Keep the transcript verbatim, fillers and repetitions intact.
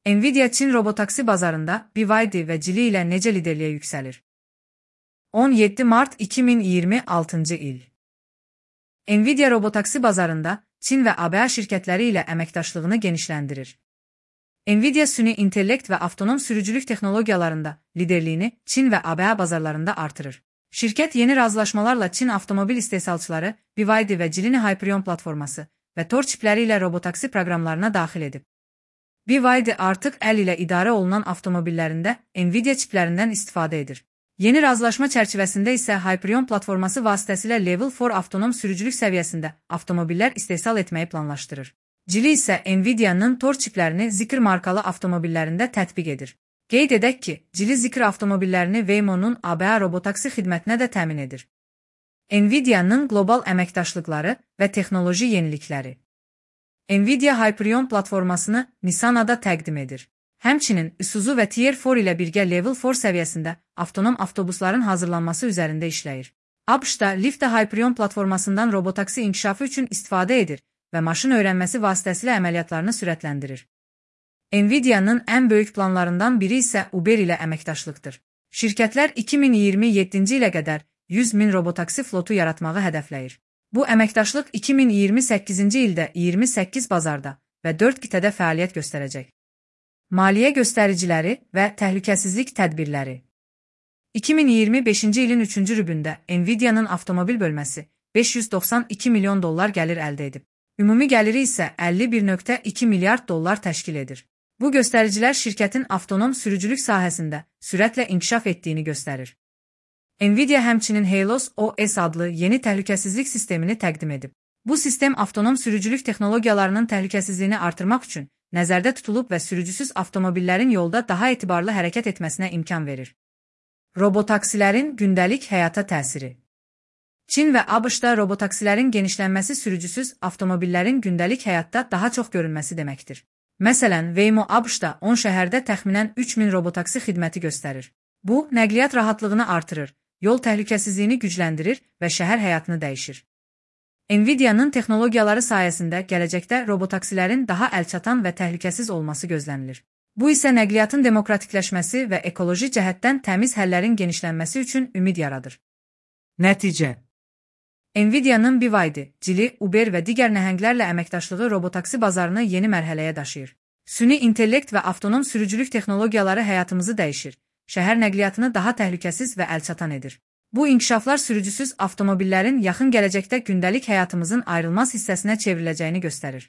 Nvidia Çin robotaksi bazarında B Y D və Geely ilə necə liderliyə yüksəlir? on yeddi mart iki min iyirmi altıncı il. Nvidia robotaksi bazarında Çin və A B A şirkətləri ilə əməkdaşlığını genişləndirir. Nvidia süni intellekt və avtonom sürücülük texnologiyalarında liderliyini Çin və A B A bazarlarında artırır. Şirkət yeni razılaşmalarla Çin avtomobil istehsalçıları B Y D və Geely Hyperion platforması və Tor çipləri ilə robotaksi proqramlarına daxil edib. B Y D artıq əl ilə idarə olunan avtomobillərində Nvidia çiplərindən istifadə edir. Yeni razılaşma çərçivəsində isə Hyperion platforması vasitəsilə Level dörd avtonom sürücülük səviyyəsində avtomobillər istehsal etməyi planlaşdırır. Geely isə Nvidia'nın Tor çiplərini Zeekr markalı avtomobillərində tətbiq edir. Qeyd edək ki, Geely Zeekr avtomobillərini Waymo'nun A B A robotaksi xidmətinə də təmin edir. Nvidia'nın qlobal əməkdaşlıqları və texnoloji yenilikləri. Nvidia Hyperion platformasını Nissan'a da təqdim edir. Həmçinin Isuzu və Tier dörd ilə birgə Level dörd səviyyəsində avtonom avtobusların hazırlanması üzərində işləyir. ABŞ-da Lyft Hyperion platformasından robotaksi inkişafı üçün istifadə edir və maşın öyrənməsi vasitəsilə əməliyyatlarını sürətləndirir. Nvidia'nın ən böyük planlarından biri isə Uber ilə əməkdaşlıqdır. Şirkətlər iki min iyirmi yeddinci ilə qədər yüz min robotaksi flotu yaratmağı hədəfləyir. Bu əməkdaşlıq iki min iyirmi səkkizinci ildə iyirmi səkkiz bazarda və dörd qitədə fəaliyyət göstərəcək. Maliyyə göstəriciləri və təhlükəsizlik tədbirləri. iki min iyirmi beşinci ilin üçüncü rübündə Nvidia'nın avtomobil bölməsi beş yüz doxsan iki milyon dollar gəlir əldə edib. Ümumi gəliri isə əlli bir nöqtə iki milyard dollar təşkil edir. Bu göstəricilər şirkətin avtonom sürücülük sahəsində sürətlə inkişaf etdiyini göstərir. Nvidia həmçinin Helios O S adlı yeni təhlükəsizlik sistemini təqdim edib. Bu sistem avtonom sürücülük texnologiyalarının təhlükəsizliyini artırmaq üçün nəzərdə tutulub və sürücüsüz avtomobillərin yolda daha etibarlı hərəkət etməsinə imkan verir. Robotaksilərin gündəlik həyata təsiri. Çin və ABŞ-da robotaksilərin genişlənməsi sürücüsüz avtomobillərin gündəlik həyatda daha çox görünməsi deməkdir. Məsələn, Waymo ABŞ-da on şəhərdə təxminən üç min robotaksi xidməti göstərir. Bu, nəqliyyat rahatlığını artırır, yol təhlükəsizliyini gücləndirir və şəhər həyatını dəyişir. Nvidia'nın texnologiyaları sayəsində gələcəkdə robotaksilərin daha əlçatan və təhlükəsiz olması gözlənilir. Bu isə nəqliyyatın demokratikləşməsi və ekoloji cəhətdən təmiz həllərin genişlənməsi üçün ümid yaradır. Nəticə. Nvidia'nın B Y D, Geely, Uber və digər nəhənglərlə əməkdaşlığı robotaksi bazarını yeni mərhələyə daşıyır. Süni intellekt və avtonom sürücülük texnologiyaları həyatımızı dəyişir, şəhər nəqliyyatını daha təhlükəsiz və əlçatan edir. Bu inkişaflar sürücüsüz avtomobillərin yaxın gələcəkdə gündəlik həyatımızın ayrılmaz hissəsinə çevriləcəyini göstərir.